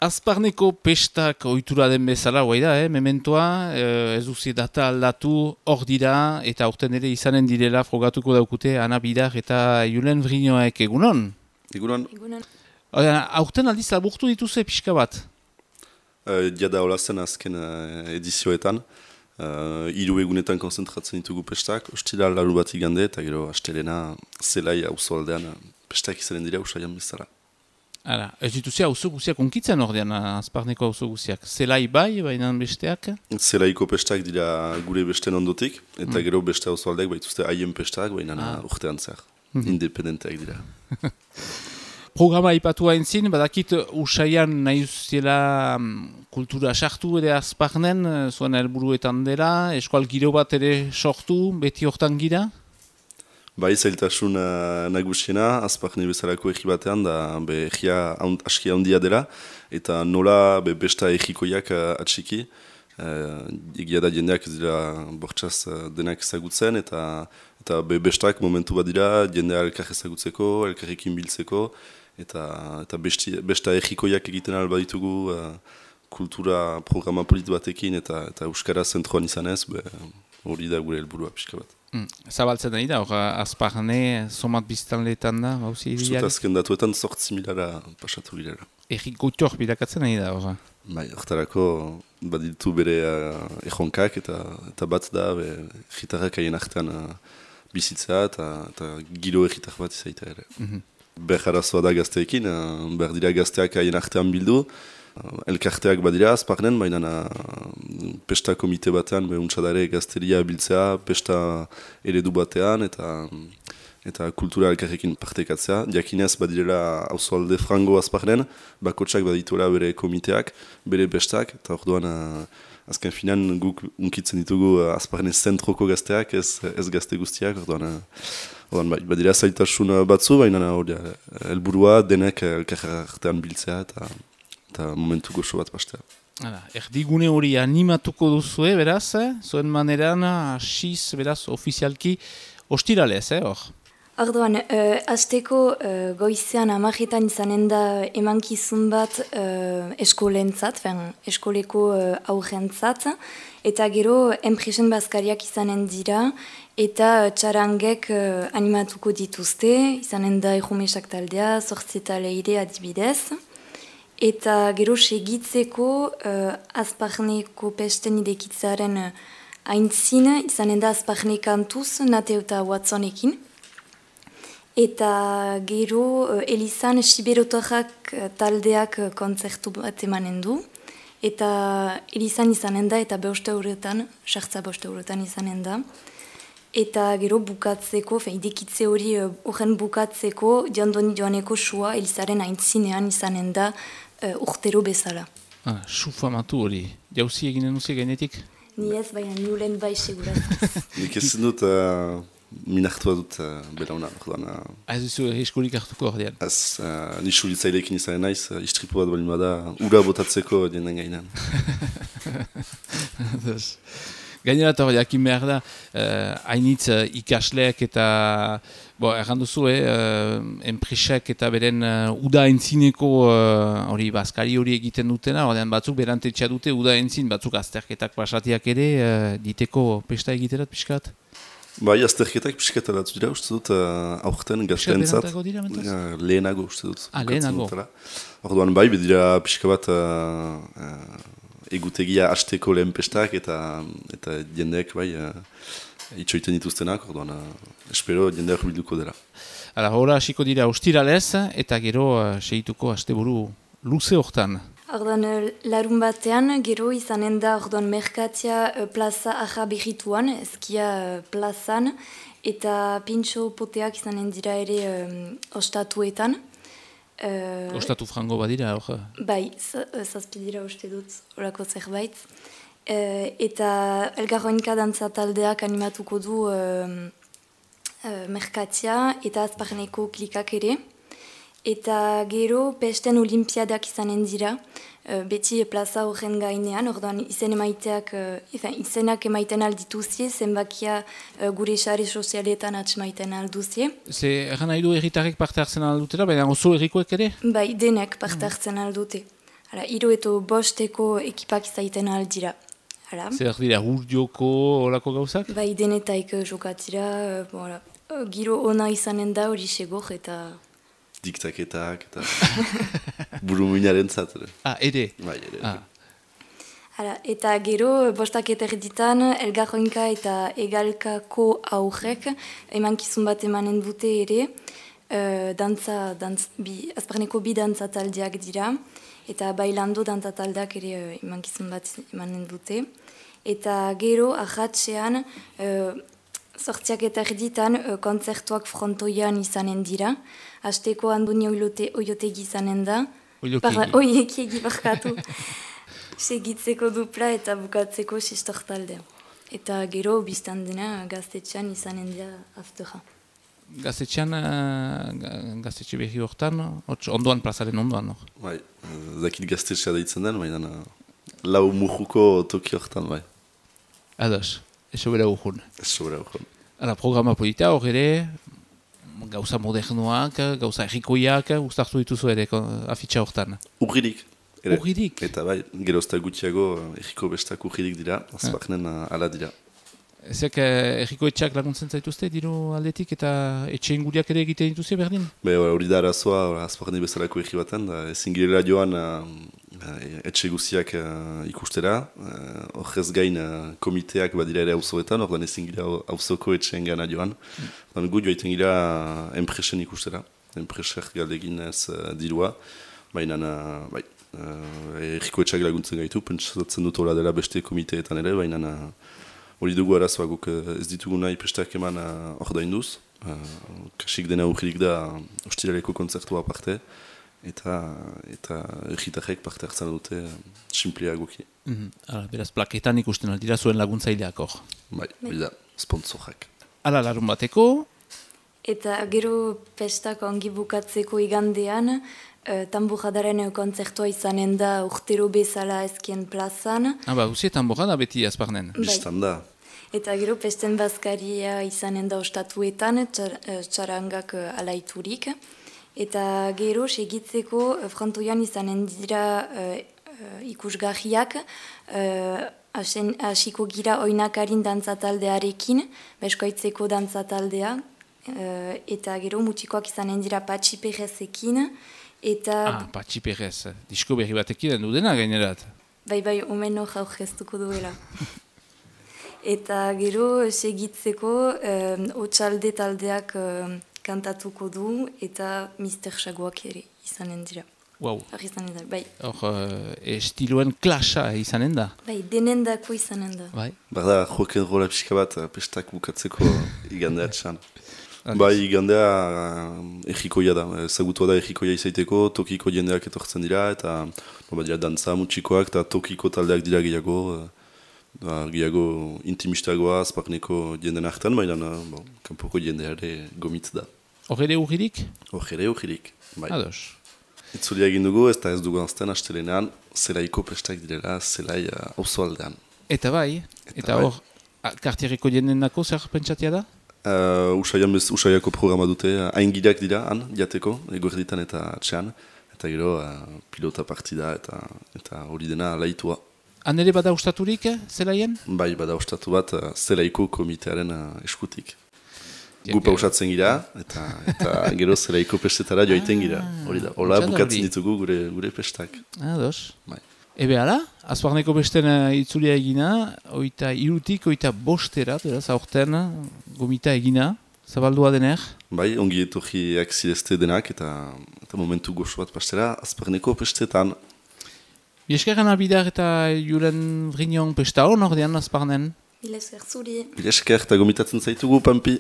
Azparneko pestak ohitura den bezala, guai da, mementoa, ez duzi data aldatu, hor dira, eta aurten ere izanen direla frogatuko daukute Ana Bidar eta Julen Vrinoek egunon? Egunon. Aurten aldiz laburtu dituze pixka bat? Jada hola zen azken edizioetan. 3 egunetan konzentratzen ditugu pestak, ostira laru bat igande, eta gero astelena zelai auzo aldean pestak izanen dira usaian bezala. Hala, ez dituzia auzo guziak unkitzen ordean, Azparneko auzo guziak. Zelai bai, baina besteak? Zelaiko pestak dira gure besten ondotik, eta gero beste auzo aldeak baituzte haien pestak, baina urtean zer, independenteak dira. Programa ipatu haintzin, badakit usaian nahi uziela kultura sartu ere Azparnen, zuen helburuetan dela, eskual giro bat ere sortu, beti hortan gira? Bai, zailtasun nagusiena, Azparne bezalako egi batean, da egia aski handia dela, eta nola besta egikoiak atxiki. Egia da jendeak ez dira bortxaz denak ezagutzen, eta bestak momentu bat dira, jendea elkar ezagutzeko, elkarrekin biltzeko, eta besta egikoiak egiten alba ditugu kultura programa polit batekin, eta Euskara zentroan izanez, hori da gure helburua pixka bat. Zabaltzen nahi da, Azparne somat biztanleetan da, bauzi ideali? Azken datuetan 8.000 pasatu girela. Errik goitor bilakatzen nahi da, hori? Bai, hortarako baditu bere ejonkak eta bat da gitarrak haien artean bizitzea eta giro egitar bat izaita ere. Beharazoa da gazteekin, behar dira gazteak haien artean bildu, elkarteak badira Azparnen, baina pesta komite batean, untsadare gazteria biltzea, pesta eredu batean, eta kultura elkarrekin partekatzea. Diakinez badirela auzoalde frango Azparnen, bakotsak badituela bere komiteak, bere pestak, eta orduan azken finan guk unkitzen ditugu Azparnen zentroko gazteak, ez gazte guztiak, orduan badira zailtasun batzu, baina helburua denek elkarrean biltzea, eta momentu goxo bat pastea. Erdigune hori animatuko duzue, beraz, zuen maneran, asiz, beraz, ofizialki, ostiralez, hor? Orduan, azteko goizean amajetan izanen da emankizun bat eskolentzat, eskoleko aurrentzat, eta gero enpresen bazkariak izanen dira, eta txarangek animatuko dituzte, izanen da errumesak taldea, zortzeta leire adibidez, eta gero segitzeko Azparneko pesten idekitzaren aintzin, izanen da Azparne kantuz, Nate eta Watsonekin. Eta gero Elizan Siberotorrak taldeak kontzertu bat emanen du. Eta Elizan izanen da eta sartza 5 eurotan izanen da. Eta gero bukatzeko, idekitze hori horren bukatzeko, jandoni joaneko sua Elizaren aintzinean izanen da urtero bezala. Su famatu hori, jauzi eginen duzi gainetik? Ni ez, baina nulen bai segurazkiz. Nik ez dut minartua dut belauna. Ez duzu eskolik hartuko ordean? Ez, nisu litzailekin izan naiz, istripu bat balin bada, ura botatzeko jenden gainan. Gainera eta jakin behar da, hainitz ikasleak eta, erranduzu, enpresak eta beren uda entzineko hori bazkari hori egiten dutena, ordean batzuk berantetxea dute uda entzin, batzuk azterketak pasatiak ere, diteko pesta egiterat pixkat? Bai, azterketak pixkat alatu dira, uste dut, aurten gaztentzat. Lehenago, uste dut. Lehenago. Orduan bai, bedira pixka bat egutegia hasteko lehen pestak eta jendeak bai itxoiten dituztenak, orduan espero jendeak bilduko dela. Hora hasiko dira ostiralez eta gero segituko asteburu luze hortan. Orduan larun batean gero izanen da orduan merkatia plaza aja behituan, eskia plazan, eta pintxo poteak izanen dira ere ostatuetan. Ostatu frango badira, hor? Bai, zazpidira uste dut, horako zerbait. Eta elgarroinka dantza taldeak animatuko du merkatia eta Azparneko klikak ere. Eta gero pesten olimpiadak izanen dira, beti plaza horren gainean, orduan izenak emaiten aldituzie, zenbakia gure sare sozialetan atxemaiten alduzie. Ze erran nahi du erritarrek parte hartzen aldutela, baina oso errikoek ere? Bai, denek parte hartzen aldute. Hiru eto bosteko ekipak izaiten aldira. Zer dira, urdioko olako gauzak? Bai, denetaik jokatzira, giro ona izanen da hori segor eta... Diktaketak eta burumuinaren zat. Ere? Bai, ere. Eta gero, bostak eta erditan, elgarroinka eta egalkako aurrek, emankizun bat emanen dute ere, azparneko bi dantza taldeak dira, eta bailando dantza taldeak ere emankizun bat emanen dute. Eta gero, ahatzean, sortziak eta erditan, kontzertuak frontoian izanen dira, hasteko Andoni Oiotegi izanen da, Oiotegi barkatu. Segitzeko dupla eta bukatzeko sistor taldea. Eta gero, biztan dena, gaztetxean izanen dira aftera. Gaztetxean, gaztetxe behi horretan, ondoan, plazaren ondoan, no? Bai, zakit gaztetxea deitzen den, baina lau mujuko toki horretan, bai. Ados, eso bera urjun. Eso bera urjun. Programa polita hor ere, gauza modernoak, gauza errikoiak, ustartu dituzu ere afitxa horretan. Urririk. Urririk? Eta bai, gerozta gutxiago erriko bestak urririk dira, azpaknen ala dira. Ezek erriko etxak laguntzen zaituzte, diru aldetik, eta etxe inguriak ere egiten dituzte berdin? Hori da arazoa, azpakne bezalako erri baten, ezin girela joan etxe guziak ikustera, horrez gain komiteak badira ere hauzoetan, ordan ezin gira hauzoko etxeen gana joan. Gu joaiten gira enpresen ikustera, enpreser galdegin ez dirua, baina erriko etxak laguntzen gaitu, pentsatzen dut hola dela beste komiteetan ere, baina hori dugu arazoa guk ez ditugu nahi prestak eman ordainduz. Kasik dena urririk da ostiraleko kontzertua parte, eta erritarrek parte hartzen dute simpleagoki. Beraz, plaketan ikusten aldira zuen laguntzaileak hor. Bai, hori da, sponsorak. Hala, larun bateko? Eta gero pestak ongi bukatzeko igandean, Tamburradaren kontzertua izanen da urtero bezala ezkien plazan. Uzi Tamburrada beti azparnen. Bistan da. Eta gero pesten bazkaria izanen da ostatuetan, txarangak alaiturik. Eta gero segitzeko frontoian izanen dira ikusgarriak, hasiko gira oinakarin dantzataldearekin, beskoitzeko dantzataldea, eta gero mutikoak izanen dira Patxi Perezekin, Patxi Perez, disko berri batekin du dena gainerat. Bai, omen hor aurkeztuko duela. Eta gero segitzeko Otsalde taldeak kantatuko du eta Mister Xagoak ere izanen dira. Wow. Bai. Estiloen klasa izanen da? Bai, denendako izanen da. Bai. Barda, joken rola pixka bat pestak bukatzeko igandeatxan. Bai, igandea errikoia da, ezagutua da errikoia izaiteko, tokiko jendeak etortzen dira, eta dira dantza mutxikoak, eta tokiko taldeak dira gehiago intimistagoa, azparneko jenden hartan, baina kanpoko jendeare gomitz da. Hor ere urririk? Hor ere urririk, bai. Ados. Itzulia egin dugu, ez da ez dugu anzten astelenean, zelaiko pestak direla, zelai auzo aldean. Eta bai, eta hor, kartierriko jenden nako zer pentsatia da? Usaiako programa dute, haingideak dira, jateko, eguerditan eta atxean, eta gero pilota partida eta hori dena laitua. Han ere bada ustaturik, zelaien? Bai, bada ustatu bat, zelaiko komitearen eskutik. Gupa usatzen gira, eta gero zelaiko pestetara joaiten gira. Hori da, hola bukatzen ditugu gure pestak. Ados. Bai. Ebe ala, azparneko besten itzulia egina, oita irutik, oita bosterat, beraz, aurten gomita egina, zabaldua dener? Bai, ongi etorriak zirezte denak, eta momentu goxo bat pastera, azparneko pestetan. Bieskeran abidar eta juren vrinion pesta hor, ordean azparnen? Bilesker zuri. Bilesker eta gomitatzen zaitugu, Pampi.